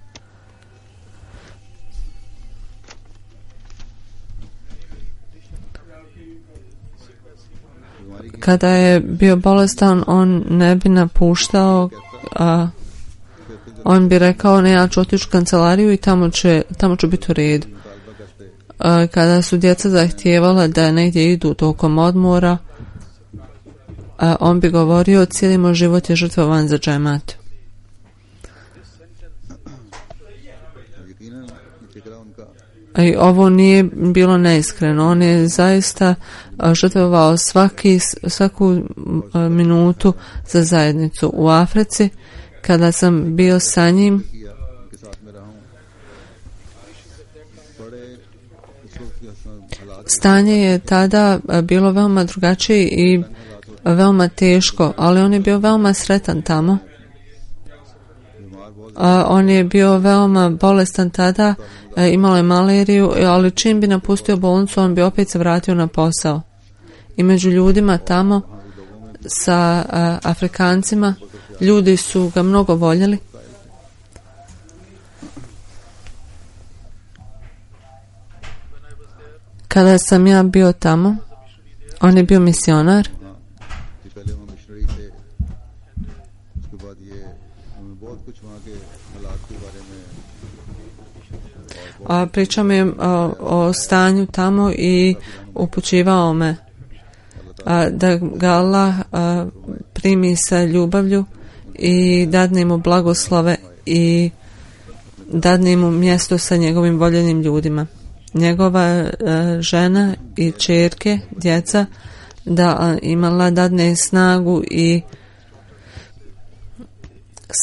Kada je bio bolestan, on ne bi napuštao, on bi rekao ne, ja ću otići u kancelariju i tamo ću biti u redu. Kada su djeca zahtijevala da negdje idu tokom odmora, on bi govorio cijeli moj život je žrtvovan za džemat. I ovo nije bilo neiskreno. On je zaista žrtvovao svaku minutu za zajednicu. U Africi, kada sam bio sa njim, stanje je tada bilo veoma drugačije i veoma teško, ali on je bio veoma sretan tamo. On je bio veoma bolestan tada, imao je maleriju, ali čim bi napustio bolnicu, on bi opet se vratio na posao. I među ljudima tamo, sa Afrikancima, ljudi su ga mnogo voljeli. Kada sam ja bio tamo, on je bio misionar. Pričao mi je o stanju tamo i upućivao me da ga Allah primi sa ljubavlju i dadne mu blagoslove i dadne mu mjesto sa njegovim voljenim ljudima. Njegova žena i ćerke, djeca, da imala dadne snagu i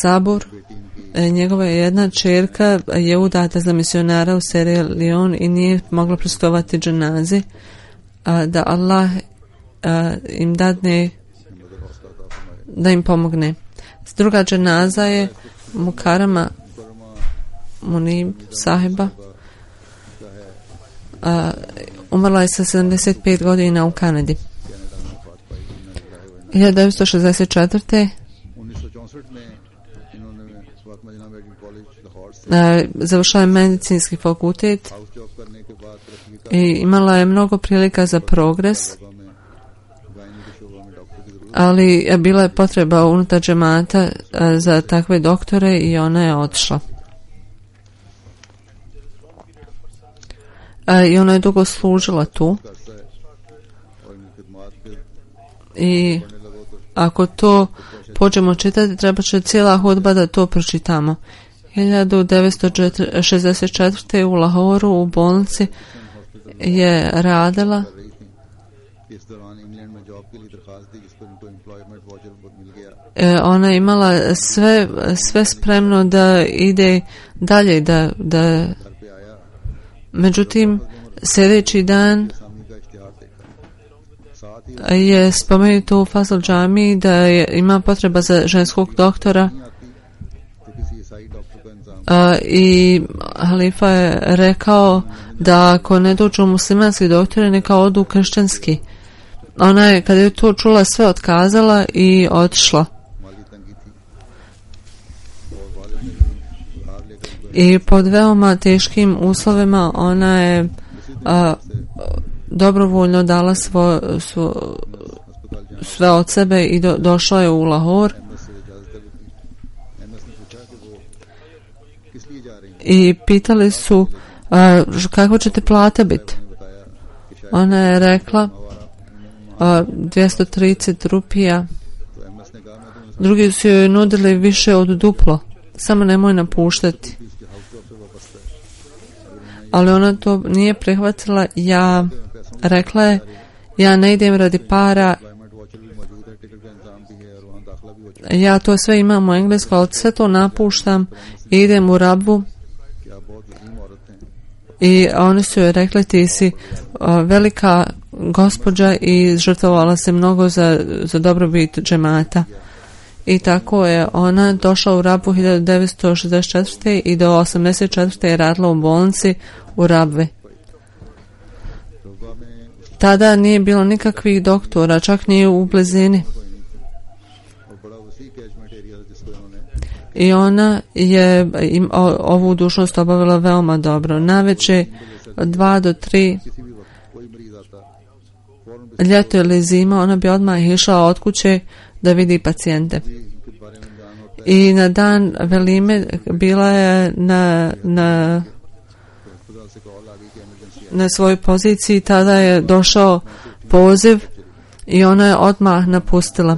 sabor. Njegova jedna ćerka je udata za misionara u Sierra Leone i nije mogla prisustvovati dženazi, da Allah im dadne, da im pomogne. Druga dženaza je Mukarama Munib sahiba. Umrla je sa 75 godina u Kanadi. 1964. Završila je medicinski fakultet i imala je mnogo prilika za progres, ali bila je potreba unutar džemata za takve doktore i ona je otišla. I ona je dugo služila tu. I ako to pođemo čitati, treba će cijela hudba da to pročitamo. 1964. u Lahoru u bolnici je radila. Ona je imala sve spremno da ide dalje, međutim sljedeći dan je spomenuto u Fazl džamiji da ima potreba za ženskog doktora i halifa je rekao da ako ne dođu muslimanski doktori, neka odu kršćanski. Ona je, kada je to čula, sve otkazala i otišla. I pod veoma teškim uslovima ona je dobrovoljno dala sve od sebe i došla je u Lahor. I pitali su kako ćete plata biti. Ona je rekla 230 rupija. Drugi su joj nudili više od duplo. Samo nemoj napuštati. Ali ona to nije prihvatila. Rekla je, ja ne idem radi para, ja to sve imam u engleskom, ali sve to napuštam i idem u Rabvu. I oni su joj rekli, ti si velika gospođa i žrtvovala se mnogo za dobrobit džemata. I tako je ona došla u Rabvu 1964. i do 1984. je radila u bolnici u Rabvi. Tada nije bilo nikakvih doktora, čak nije u blizini. I ona je ovu dužnost obavila veoma dobro. Navečer 2 do 3 ljeto ili zima, ona bi odmah išla od kuće da vidi pacijente. I na dan velime bila je na svojoj poziciji, tada je došao poziv i ona je odmah napustila.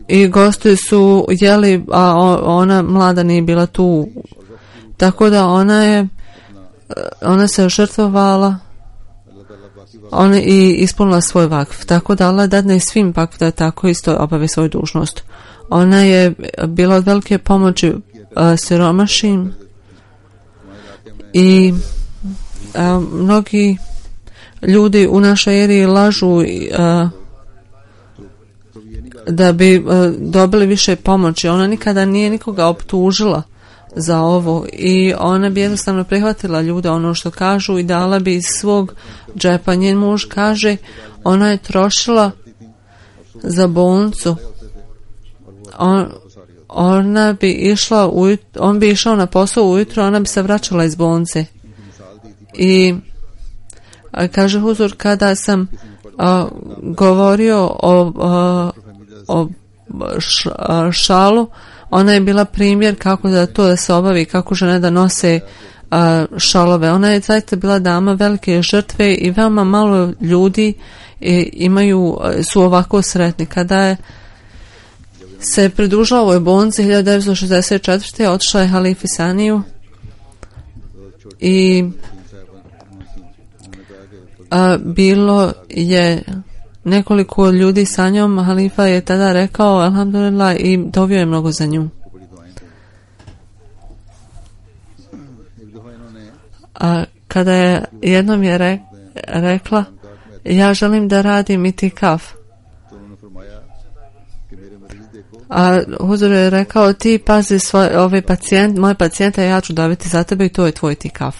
I gosti su jeli, a ona mlada nije bila tu. Tako da ona se žrtvovala i ispunila svoj vakf. Tako da Allah dadne svim vakf da tako isto obave svoju dužnost. Ona je bila od velike pomoći siromašnim i mnogi ljudi u našoj eri lažu da bi dobili više pomoći. Ona nikada nije nikoga optužila za ovo i ona bi jednostavno prihvatila ljude ono što kažu i dala bi iz svog džepa. Njen muž kaže ona je trošila za bolnicu. Ona bi išla on bi išao na posao ujutro, ona bi se vraćala iz bolnice. I kaže Huzur, kada sam govorio o šalu, ona je bila primjer kako da se obavi, kako žene da nose šalove. Ona je zaista bila dama velike žrtve i veoma malo ljudi su ovako sretni. Kada se pridružila ovoj bolnici 1964. otišla je halifi Saniju i bilo je nekoliko ljudi sa njom. Halifa je tada rekao alhamdulillah i dovio je mnogo za nju. A kada je jednom je rekla ja želim da radim itikaf, a Huzur je rekao ti pazi moje pacijente, ja ću daviti za tebe i to je tvoj itikaf.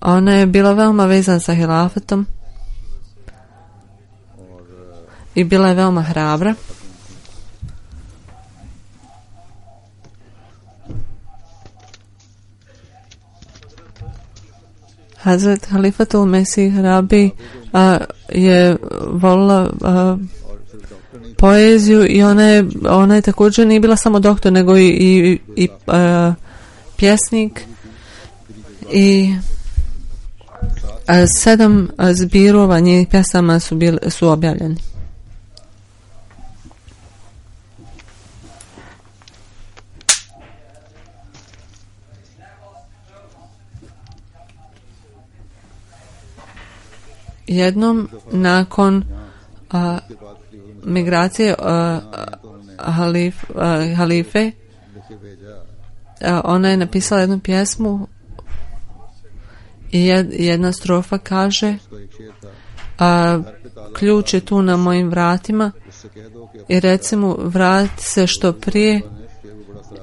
Ona je bila veoma vezana sa hilafetom i bila je veoma hrabra. Hazret Halifatul Mesih Rabi je volila poeziju i ona je također nije bila samo doktor nego i pjesnik i 7 zbirova njenih pjesama su objavljeni. Jednom nakon migracije halife ona je napisala jednu pjesmu i jedna strofa kaže ključ je tu na mojim vratima i recimo vrati se što prije.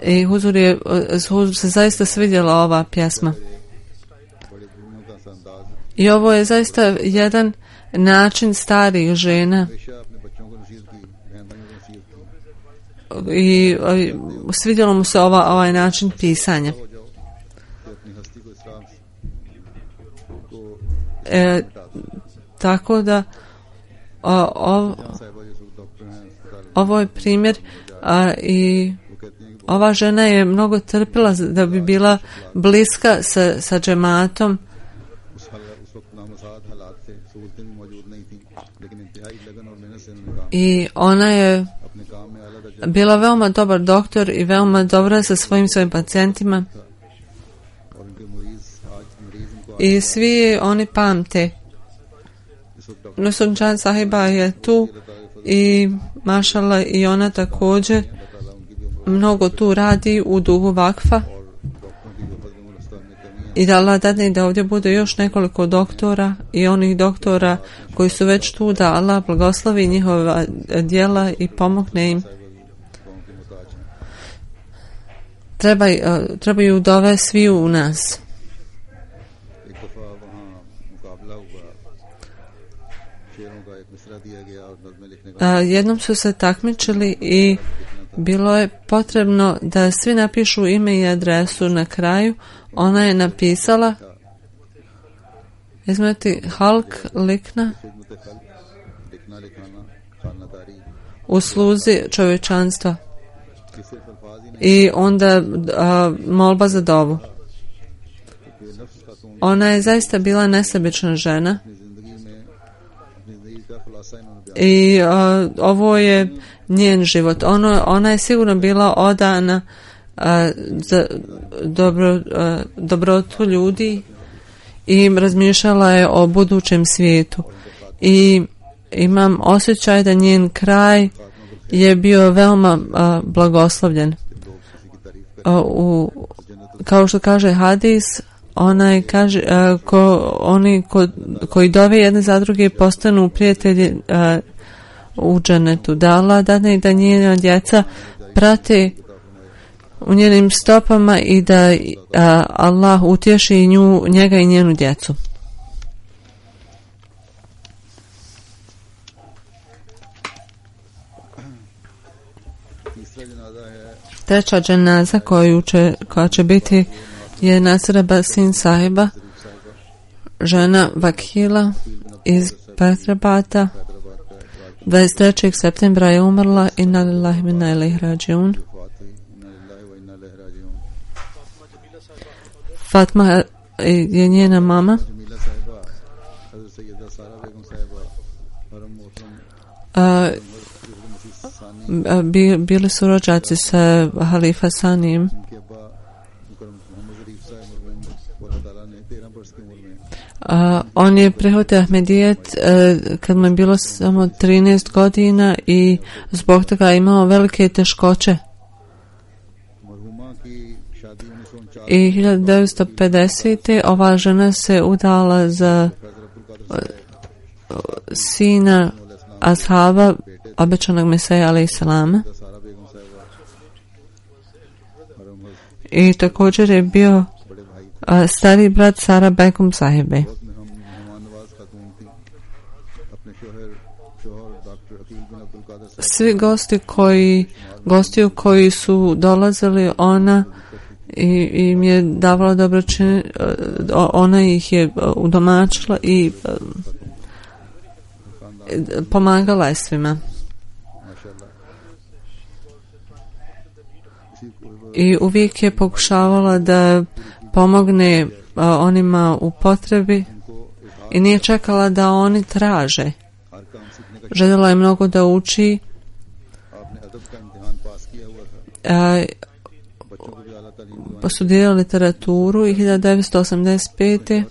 I Huzur se zaista svidjela ova pjesma. I ovo je zaista jedan način starih žena i svidjelo mu se ovaj način pisanja. Tako da ovo je primjer i ova žena je mnogo trpila da bi bila bliska sa džematom i ona je bila veoma dobar doktor i veoma dobra sa svojim pacijentima i svi oni pamte. Nusrudžan sahiba je tu i mašallah i ona također mnogo tu radi u duhu vakfa i da Allah dadne da ovdje bude još nekoliko doktora i onih doktora koji su već tu, da Allah blagoslovi njihova djela i pomogne im. Trebaju dove svi u nas. Jednom su se takmičili i bilo je potrebno da svi napišu ime i adresu na kraju. Ona je napisala izmeti halk likna u sluzi čovječanstva i onda molba za dovu. Ona je zaista bila nesebična žena i ovo je njen život. Ona je sigurno bila odana za dobrotu ljudi i razmišljala je o budućem svijetu. I imam osjećaj da njen kraj je bio veoma blagoslovljen. Kao što kaže hadis, onaj kaže, oni koji dove jedne za druge postanu prijatelji u džennetu. Da Allah dadne da njena djeca prate u njenim stopama i da Allah utješi njega i njenu djecu. Treća dženaza koja će biti je Nasira Basin sahiba, žena Vakila iz Petrabata. 23. septembra je umrla. Inna lillahi wa inna ilaihi rađiun. Fatma je njena mama. Bili su rođaci sa halifa Sanijem. On je prihvatio Ahmedijet kad mu je bilo samo 13 godina i zbog toga imao velike teškoće. I 1950. ova žena se udala za sina ashaba obećanog Meseja alejhi selama. I također je bio stari brat Sara Begum sahibe. Svi gosti koji su dolazili, ona im je davala dobročinjenje, ona ih je udomačila i pomagala je svima. I uvijek je pokušavala da pomogne onima u potrebi i nije čekala da oni traže. Željela je mnogo da uči. Studirala literaturu i 1985.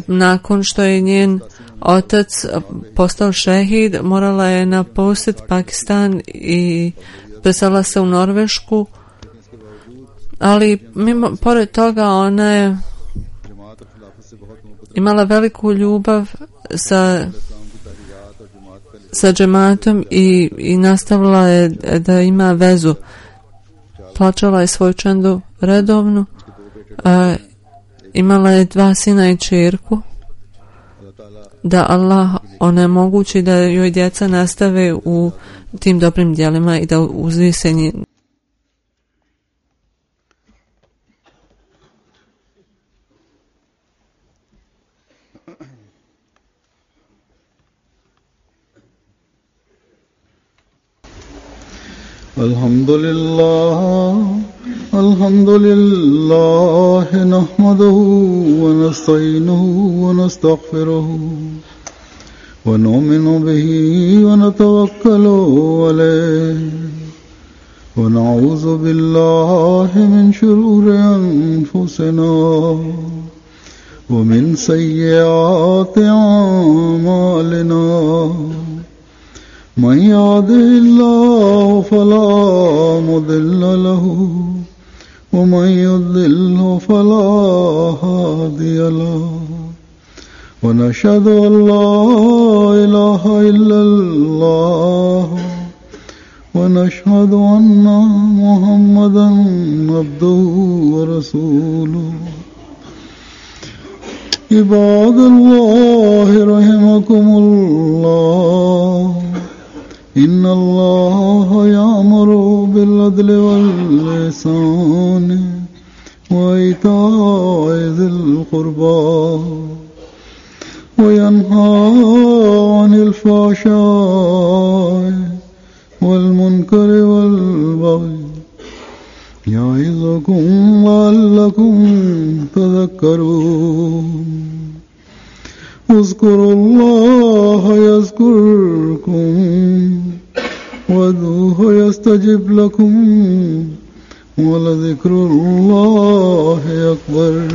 Nakon što je njen otac postao šehid, morala je napustiti Pakistan i preselila se u Norvešku, ali pored toga ona je imala veliku ljubav sa džematom i nastavila je da ima vezu. Plaćala je svoju čandu redovno, imala je 2 sina i ćerku. Da Allah onemogući da joj djeca nastave u tim dobrim djelima i da uzvise njih. Alhamdulillah nahmaduhu wa nasta'inuhu wa nastaghfiruhu wa nu'minu bihi wa natawakkalu alayhi wa na'udhu billahi min shururi anfusina wa min sayyiati a'malina. من يهده الله فلا مضل له ومن يضلل فلا هادي له ونشهد أن لا إله إلا الله ونشهد أن محمدا عبده ورسوله. عباد الله رحمكم الله إن الله يأمر بالعدل والإحسان وإيتاء ذي القربى وينهى عن الفحشاء والمنكر والبغي يعظكم لعلكم تذكرون. اذكروا الله يذكركم وادعوه يستجب لكم ولذكر الله أكبر.